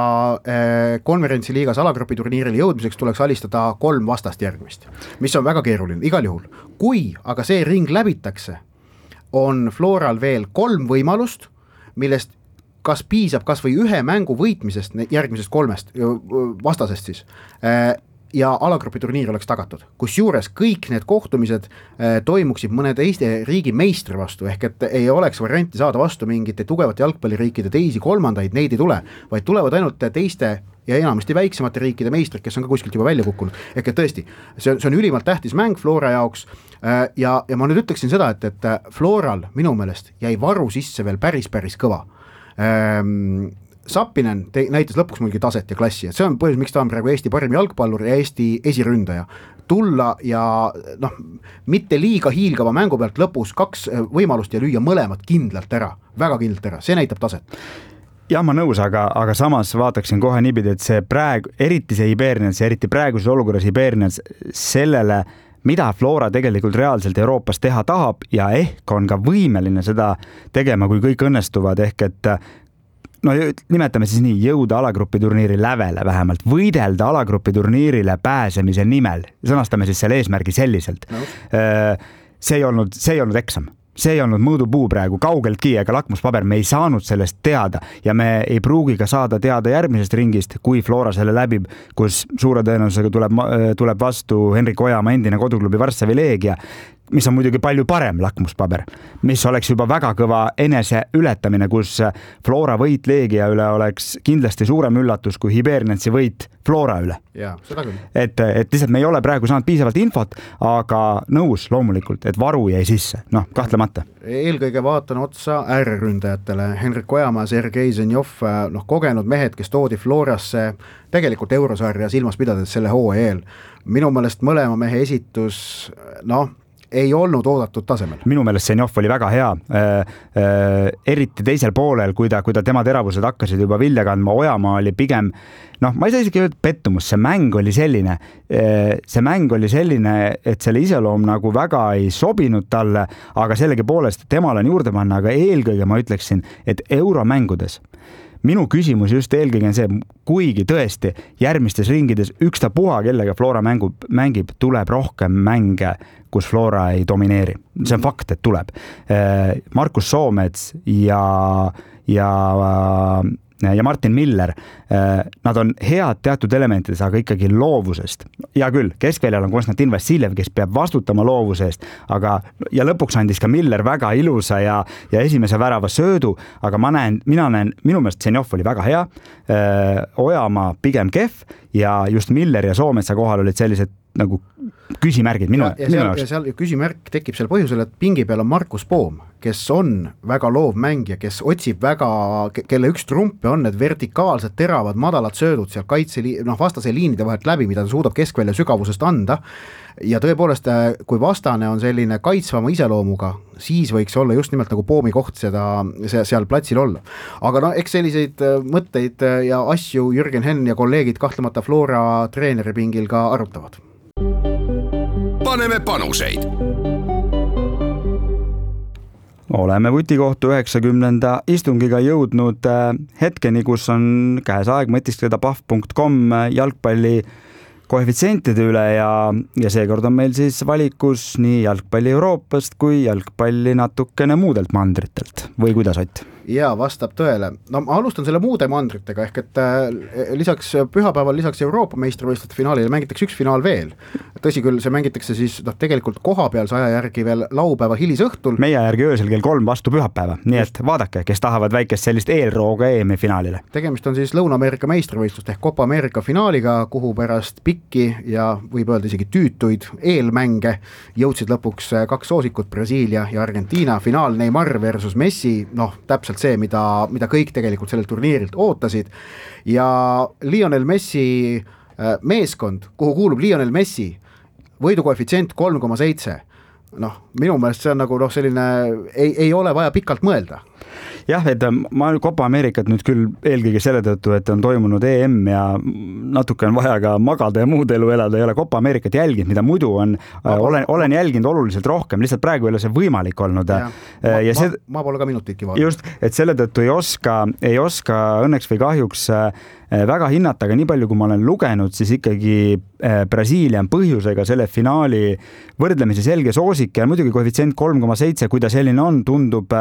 konverentsiliigas alagrupiturniiril jõudmiseks tuleks alistada 3 vastast järgmist, mis on väga keeruline igal juhul. Kui aga see ring läbitakse, on Floral veel 3 võimalust, millest kas piisab kas või 1 mängu võitmisest järgmisest 3 vastasest siis ja alagrupiturniir oleks tagatud, kus juures kõik need kohtumised toimuksid mõne teiste riigi meistri vastu, ehk et ei oleks varianti saada vastu mingite tugevate jalgpalliriikide teisi kolmandaid, neid ei tule, vaid tulevad ainult teiste ja enamasti väiksemate riikide meistrid, kes on ka kuskilt juba välja kukkunud. Ehk et tõesti, see on ülimalt tähtis mäng Flora jaoks ja ma nüüd ütleksin seda, et Floral minu meelest jäi varu sisse veel päris kõva. Sappinen näitas lõpuks muidugi taset ja klassi, et see on põhjus, miks ta on praegu Eesti parim jalgpallur ja Eesti esiründaja. Tulla ja mitte liiga hiilgava mängu pealt lõpus 2 võimalust ja lüüa mõlemad kindlalt ära, väga kindlalt ära, see näitab taset. Jah, ma nõus, aga samas vaataksin kohe niipidi, et see praegu, eriti see Hibernians, eriti praeguses olukorras Hibernians, sellele mida Flora tegelikult reaalselt Euroopas teha tahab ja ehk on ka võimeline seda tegema, kui kõik õnnestuvad, ehk et nimetame siis nii, jõuda alagrupiturniiri lävele vähemalt, võidelda alagrupiturniirile pääsemise nimel, sõnastame siis selle eesmärgi selliselt. See ei olnud eksam. See ei olnud mõõdupuu praegu kaugeltki ega lakmuspaber, me ei saanud sellest teada ja me ei pruugi ka saada teada järgmisest ringist, kui Flora selle läbib, kus suure tõenäosusega tuleb vastu Henrik Ojamaa endine koduklubi Varssavi Leegia. mis on muidugi palju parem lakmuspaber, mis oleks juba väga kõva enese ületamine, kus Flora võit Leegia üle oleks kindlasti suurem üllatus kui Hibernetsi võit Flora üle. Jaa, seda küll. Et lihtsalt me ei ole praegu saanud piisavalt infot, aga nõus loomulikult, et varu jäi sisse, kahtlemata. Eelkõige vaatan otsa ääreründajatele, Henrik Ojamaa, Sergei Zenjov, kogenud mehed, kes toodi Florasse tegelikult eurosarja silmas pidades selle hooaja eel. Minu meelest mõlema mehe esitus, ei olnud oodatud tasemel. Minu meelest Zenjov oli väga hea, eriti teisel poolel, kui ta tema teravused hakkasid juba vilja kandma, Ojamaa oli pigem, ma ei saa isegi öelda pettumus, see mäng oli selline, et selle iseloom nagu väga ei sobinud talle, aga sellegi poolest temal on juurde panna, aga eelkõige ma ütleksin, et euromängudes minu küsimus just eelkõige on see, kuigi tõesti järgmistes ringides ükstapuha kellega Flora mängib, tuleb rohkem mänge, kus Flora ei domineeri. See on fakt, et tuleb. Markus Soomets ja Martin Miller, nad on head teatud elementides, aga ikkagi loovusest. Ja küll, keskväljal on Konstantin Vassiljev, kes peab vastutama loovuse eest, ja lõpuks andis ka Miller väga ilusa ja esimese värava söödu, aga mina näen, minu meelest Zenjov oli väga hea, Ojamaa pigem kehv ja just Miller ja Soometsa kohal olid sellised nagu küsimärgid. Ja seal küsimärk tekib seal põhjusel, et pingi peal on Markus Poom, kes on väga loov mängija, kes otsib kelle üks trumpe on need vertikaalsed, teravad, madalad söödud seal vastase liinide vahelt läbi, mida ta suudab keskvälja sügavusest anda. Ja tõepoolest, kui vastane on selline kaitsvama iseloomuga, siis võiks olla just nimelt nagu Poomi koht seal platsil olla. Aga eks selliseid mõtteid ja asju Jürgen Henn ja kolleegid kahtlemata Flora treeneri pingil ka arutavad. Paneme panuseid. Oleme Vutikohtu 90. istungiga jõudnud hetkeni, kus on käes aeg mõtiskleda pahv.com jalgpalli koefitsientide üle ja seekord on meil siis valikus nii jalgpalli Euroopast kui jalgpalli natukene muudelt mandritelt. Või kuidas, Ott? Jaa, vastab tõele. Ma alustan selle muude mandritega, ehk et pühapäeval lisaks Euroopa meistrivõistluste finaalile mängitakse üks finaal veel. Tõsi küll, see mängitakse siis tegelikult kohapealse aja järgi veel laupäeva hilisõhtul. Meie järgi öösel kell 3 vastu pühapäeva, nii et vaadake, kes tahavad väikest sellist eelrooga EM-i finaalile. Tegemist on siis Lõuna-Ameerika meistrivõistluste ehk Copa Ameerika finaaliga, kuhu pärast pikki ja võib öelda isegi tüütuid eelmänge jõudsid lõpuks kaks soosikut, Brasiilia ja Argentiina. Finaal Neymar versus Messi, täpselt see, mida kõik tegelikult sellelt turniirilt ootasid. Ja Lionel Messi meeskond, kuhu kuulub Lionel Messi, võidukoefitsient 3,7. Minu meelest see on nagu selline, ei ole vaja pikalt mõelda. Jah, et ma Copa Ameerikat nüüd küll eelkõige selle tõttu, et on toimunud EM ja natuke on vaja ka magada ja muud elu elada, ei ole Copa Ameerikat jälginud, mida muidu olen jälginud oluliselt rohkem, lihtsalt praegu ei ole see võimalik olnud. Ma pole ka minutitki vaadanud. Just, et selle tõttu ei oska õnneks või kahjuks väga hinnata, aga nii palju, kui ma olen lugenud, siis ikkagi Brasiilia on põhjusega selle finaali võrdlemisi selge soosik ja muidugi koefitsient 3,7, kui ta selline on, tundub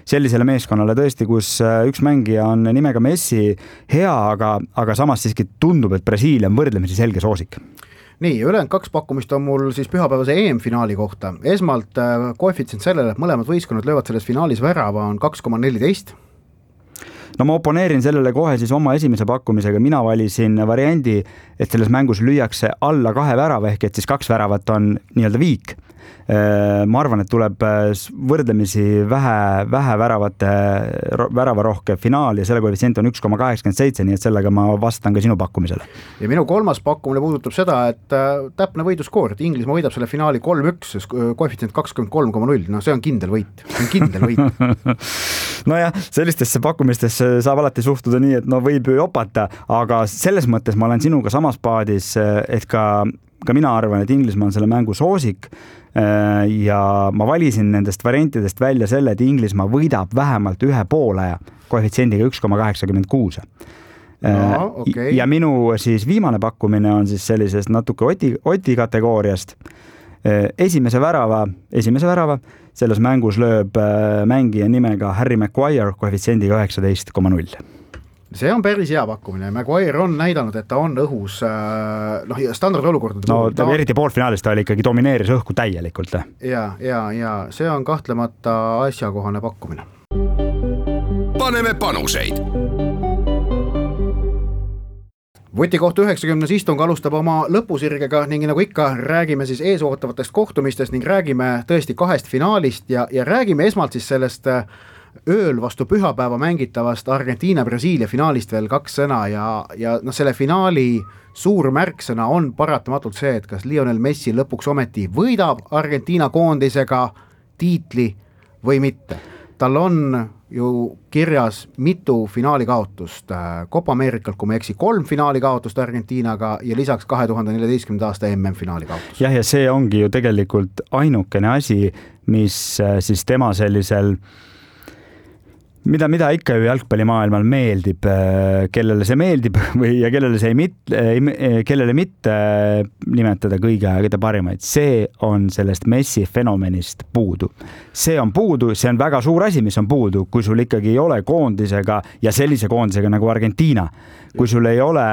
sellisele meeskonnale tõesti, kus üks mängija on nimega Messi hea, aga samas siiski tundub, et Brasiilia on võrdlemisi selge soosik. Nii, ülejäänud kaks pakkumist on mul siis pühapäevase EM-finaali kohta. Esmalt koefitsient sellele, et mõlemad võistkonnad löövad selles finaalis värava on 2,14. Ma oponeerin sellele kohe siis oma esimese pakkumisega. Mina valisin variandi, et selles mängus lüüakse alla 2 värava ehk et siis 2 väravat on nii-öelda viik. Ma arvan, et tuleb võrdlemisi vähe väravarohke finaal ja selle koefitsient on 1,87, nii et sellega ma vastan ka sinu pakkumisele. Ja minu kolmas pakkumine puudutab seda, et täpne võiduskoor, et Inglismaa võidab selle finaali 3-1, koefitsient 23,0, see on kindel võit. Nojah, sellistesse pakkumistesse saab alati suhtuda nii, et võib ju jopata, aga selles mõttes ma olen sinuga samas paadis, et ka mina arvan, et Inglismaa on selle mängu soosik ja ma valisin nendest variantidest välja selle, et Inglismaa võidab vähemalt ühe poolaja koefitsiendiga 1,86. Okay. Ja minu siis viimane pakkumine on siis sellisest natuke Oti kategooriast. Esimese värava selles mängus lööb mängija nimega Harry Maguire koefitsiendiga 19,0. see on päris hea pakkumine, Maguire on näidanud, et ta on õhus standardolukordade puhul. Eriti poolfinaalis ta oli ikkagi domineeris õhku täielikult. Ja see on kahtlemata asjakohane pakkumine. Paneme panuseid. Vutikohtu 90. istung alustab oma lõpusirgega ning nagu ikka räägime siis eesootavatest kohtumistest ning räägime tõesti 2 finaalist ja räägime esmalt siis sellest ööl vastu pühapäeva mängitavast Argentiina-Brasiilia finaalist veel 2 sõna ja selle finaali suur märksõna on paratamatult see, et kas Lionel Messi lõpuks ometi võidab Argentiina koondisega tiitli või mitte. Tal on ju kirjas mitu finaali kaotust, Copa Americalt, kui ma eksi, 3 finaali kaotust Argentiinaga ja lisaks 2014. aasta MM-finaali kaotus. Ja see ongi ju tegelikult ainukene asi, mis siis tema sellisel mida ikka ju jalgpallimaailmal meeldib, kellele see meeldib ja kellele mitte nimetada kõige aegade parimaid. See on sellest Messi fenomenist puudu. See on puudu, see on väga suur asi, mis on puudu, kui sul ikkagi ei ole koondisega ja sellise koondisega nagu Argentiina. Kui sul ei ole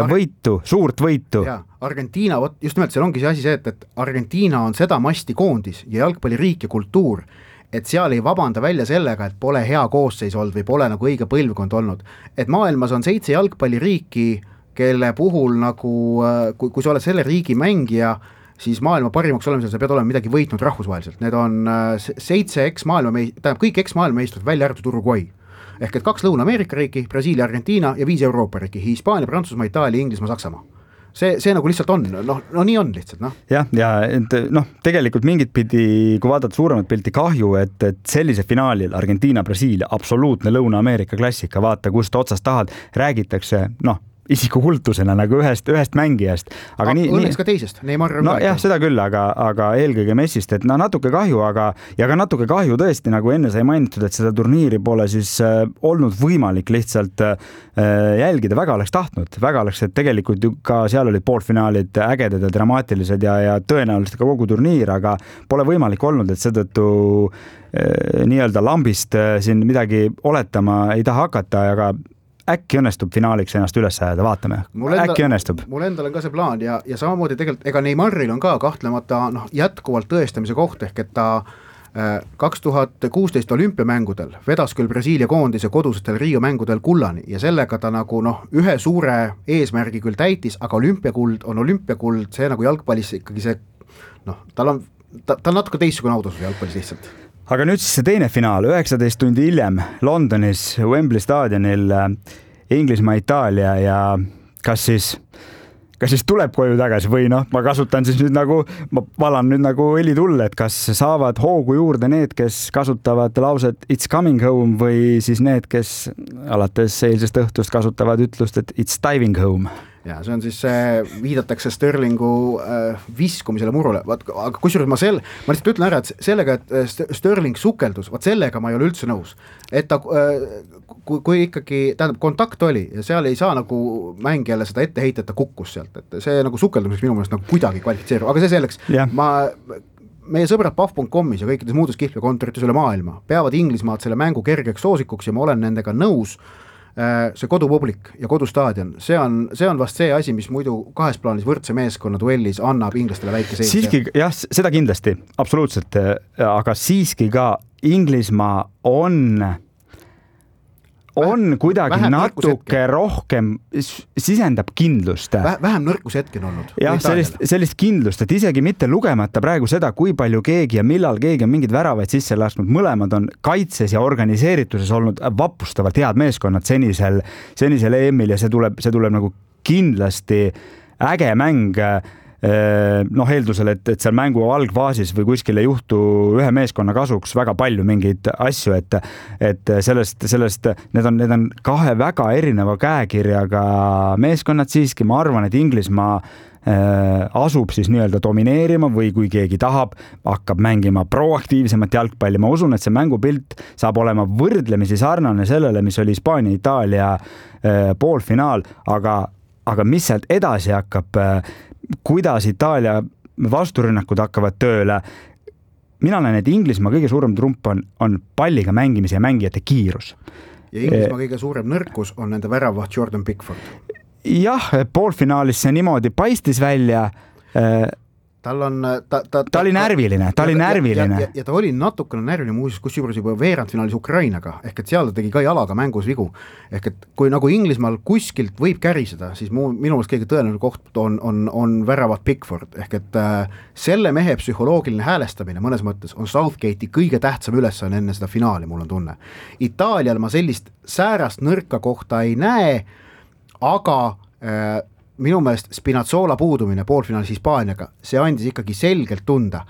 võitu, suurt võitu. Ja, Argentiina, just nimelt seal ongi see asi see, et Argentiina on seda masti koondis ja jalgpalliriik ja kultuur, et seal ei vabanda välja sellega, et pole hea koosseis olnud või pole nagu õige põlvkond olnud. Et maailmas on 7 jalgpalliriiki, kelle puhul nagu, kui sa oled selle riigi mängija, siis maailma parimaks olemisel sa pead olema midagi võitnud rahvusvaheliselt. Need on 7 kõik eks-maailmameistrid välja arvatud Uruguay. Ehk et 2 Lõuna-Ameerika riiki, Brasiilia, Argentiina ja 5 Euroopa riiki, Hispaania, Prantsusmaa, Itaalia, Inglismaa, Saksamaa. See nagu lihtsalt on, nii on lihtsalt, Ja tegelikult mingit pidi, kui vaadata suuremat pilti, kahju, et sellise finaalil Argentiina-Brasiilia, absoluutne Lõuna-Ameerika klassika, vaata, kust otsast tahad, räägitakse, isikukultusena nagu ühest mängijast. Aga õnneks ka teisest, Neymar on seda küll, aga eelkõige Messist, et natuke kahju, aga ka natuke kahju tõesti, nagu enne sai mainitud, et seda turniiri pole siis olnud võimalik lihtsalt jälgida, väga oleks tahtnud, et tegelikult ju ka seal olid poolfinaalid ägedad ja dramaatilised ja tõenäoliselt ka kogu turniir, aga pole võimalik olnud, et seetõttu nii-öelda lambist siin midagi oletama ei taha hakata, aga äkki õnnestub finaaliks ennast üles ajada, vaatame. Äkki õnnestub. Mul endal on ka see plaan ja samamoodi tegelikult, ega Neymaril on ka kahtlemata jätkuvalt tõestamise koht, ehk et ta 2016 olümpiamängudel vedas küll Brasiilia koondise kodusetel Rio mängudel kullani ja sellega ta nagu ühe suure eesmärgi küll täitis, aga olümpiakuld on olümpiakuld, see nagu jalgpallis ikkagi see, tal on natuke teistsugune autos jalgpallis lihtsalt. Aga nüüd siis see teine finaal, 19 tundi hiljem Londonis Wembley staadionil Inglismaa, Itaalia ja kas siis tuleb koju tagasi või ma kasutan siis nüüd nagu, ma valan nüüd nagu heli tulle, et kas saavad hoogu juurde need, kes kasutavad lauset it's coming home või siis need, kes alates eilsest õhtust kasutavad ütlust, et it's diving home. Ja see on siis, viidatakse Sterlingu viskumisele murule, aga kusjuures ma lihtsalt ütlen ära, et sellega, et Sterling sukeldus, sellega ma ei ole üldse nõus. Et ta, kui ikkagi, tähendab, kontakt oli ja seal ei saa nagu mängijale seda ette heita, et ta kukkus sealt, et see nagu sukeldumiseks minu meelest nagu kuidagi kvalifitseerub, aga see selleks, meie sõbrad pahv.comis ja kõikides muudes kihlveokontorites üle maailma peavad Inglismaad selle mängu kergeks soosikuks ja ma olen nendega nõus. See kodupublik ja kodustaadion, see on vast see asi, mis muidu 2 plaanis võrdse meeskonna duellis annab inglastele väike seis. Siiski, jah, seda kindlasti, absoluutselt, aga siiski ka Inglismaa on kuidagi natuke rohkem sisendab kindlust. Vähem nõrkushetki on olnud. Jah, sellist kindlust, et isegi mitte lugemata praegu seda, kui palju keegi ja millal keegi on mingid väravaid sisse lasknud, mõlemad on kaitses ja organiseerituses olnud vapustavalt head meeskonnad senisel EM-il ja see tuleb nagu kindlasti äge mäng, eeldusel, et seal mängu algfaasis või kuskil ei juhtu ühe meeskonna kasuks väga palju mingeid asju, et sellest need on 2 väga erineva käekirjaga meeskonnad siiski, ma arvan, et Inglismaa asub siis nii-öelda domineerima või kui keegi tahab, hakkab mängima proaktiivsemat jalgpalli. Ma usun, et see mängupilt saab olema võrdlemisi sarnane sellele, mis oli Hispaania-Itaalia poolfinaal, aga mis sealt edasi hakkab, kuidas Itaalia vasturünnakud hakkavad tööle. Mina näen, et Inglismaa kõige suurem trump on palliga mängimise ja mängijate kiirus. ja Inglismaa kõige suurem nõrkus on nende väravaht Jordan Pickford. Jah, poolfinaalis see niimoodi paistis välja. Ta oli närviline, ja ta oli natukene närviline muuseas, kusjuures juba veerandfinaalis Ukrainaga, ehk et seal ta tegi ka jalaga mängus vigu. Ehk et kui nagu Inglismaal kuskilt võib käriseda, siis minu meelest kõige tõenäoline koht on väravat Pickford, ehk et selle mehe psühholoogiline häälestamine mõnes mõttes on Southgate'i kõige tähtsam ülesanne enne seda finaali, mul on tunne. Itaalial ma sellist säärast nõrka kohta ei näe, aga minu meelest Spinazzola puudumine poolfinaalis Hispaaniaga, see andis ikkagi selgelt tunda.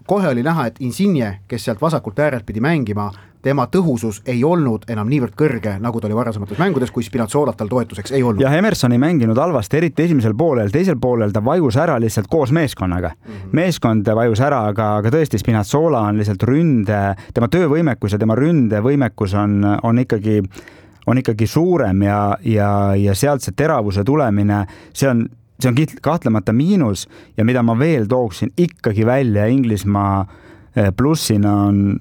Kohe oli näha, et Insigne, kes sealt vasakult äärelt pidi mängima, tema tõhusus ei olnud enam niivõrd kõrge, nagu ta oli varasemates mängudes, kui Spinazzolat tal toetuseks ei olnud. Ja Emerson ei mänginud halvasti, eriti esimesel poolel, teisel poolel ta vajus ära lihtsalt koos meeskonnaga. Meeskond vajus ära, aga tõesti Spinazzola on lihtsalt tema töövõimekus ja tema ründevõimekus on ikkagi suurem ja sealt see teravuse tulemine, see on kahtlemata miinus ja mida ma veel tooksin ikkagi välja Inglismaa plussina on,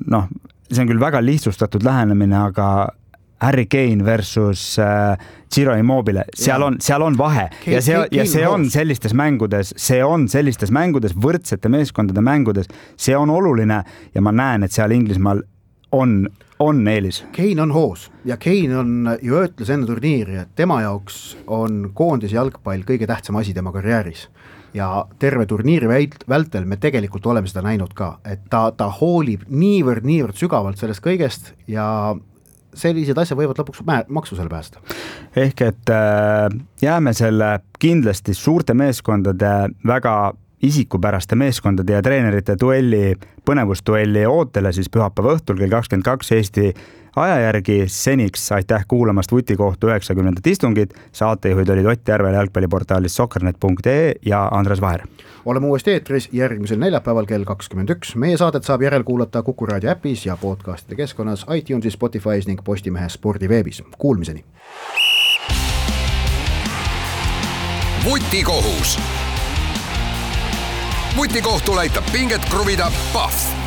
see on küll väga lihtsustatud lähenemine, aga Harry Kane versus Ciro Immobile, seal on vahe ja see on sellistes mängudes, võrdsete meeskondade mängudes, see on oluline ja ma näen, et seal Inglismaal on eelis. Kane on hoos ja Kane on ju öötles enne turniiri, et tema jaoks on koondis jalgpall kõige tähtsam asi tema karjääris ja terve turniiri vältel me tegelikult oleme seda näinud ka, et ta hoolib niivõrd sügavalt sellest kõigest ja sellised asjad võivad lõpuks maksusele päästa. Ehk et jääme selle kindlasti suurte meeskondade väga isikupäraste meeskondade ja treenerite põnevustuelli ootele siis pühapäeva õhtul kell 22 Eesti aja järgi. Seniks aitäh kuulamast Vutikohtu 90. istungit. Saatejuhid olid Ott Järvel jalgpalliportaalis soccernet.ee ja Andres Vaher. Oleme uuesti eetris järgmisel neljapäeval kell 21. Meie saadet saab järel kuulata Kuku Raadio äpis ja podcastide keskkonnas iTunesis, Spotify's ning Postimehe spordiveebis. Kuulmiseni! Vutikohus. Vutikohtul aitab pinget kruvida Pahv.